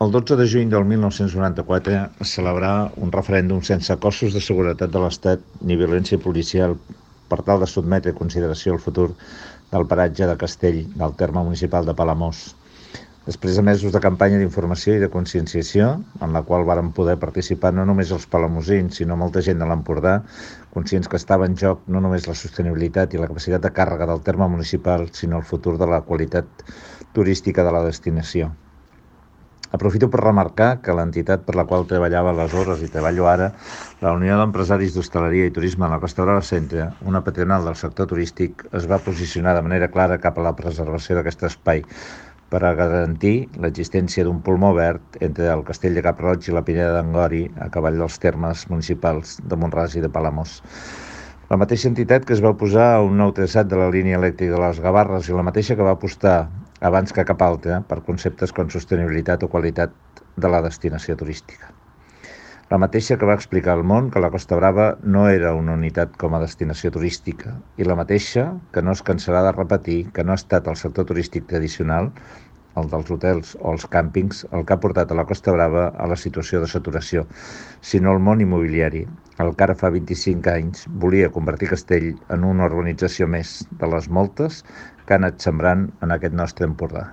El 12 de juny del 1994 es celebrà un referèndum sense cossos de seguretat de l'Estat ni violència policial per tal de sotmetre a consideració el futur del paratge de Castell, del terme municipal de Palamós. Després de mesos de campanya d'informació i de conscienciació, en la qual varen poder participar no només els palamosins, sinó molta gent de l'Empordà, conscients que estava en joc no només la sostenibilitat i la capacitat de càrrega del terme municipal, sinó el futur de la qualitat turística de la destinació. Aprofito per remarcar que l'entitat per la qual treballava aleshores i treballo ara, la Unió d'Empresaris d'Hostaleria i Turisme de la Costa Brava Centre, una patronal del sector turístic, es va posicionar de manera clara cap a la preservació d'aquest espai per a garantir l'existència d'un pulmó verd entre el Castell de Cap-roig i la Pineda d'Angori, a cavall dels termes municipals de Mont-ras i de Palamós. La mateixa entitat que es va oposar a un nou traçat de la línia elèctrica de les Gavarres i la mateixa que va apostar abans que cap altra per conceptes com sostenibilitat o qualitat de la destinació turística. La mateixa que va explicar al món que la Costa Brava no era una unitat com a destinació turística i la mateixa que no es cansarà de repetir que no ha estat el sector turístic tradicional, el dels hotels o els càmpings, el que ha portat a la Costa Brava a la situació de saturació, sinó el món immobiliari, el que ara fa 25 anys volia convertir Castell en una urbanització més de les moltes que ha anat sembrant en aquest nostre Empordà.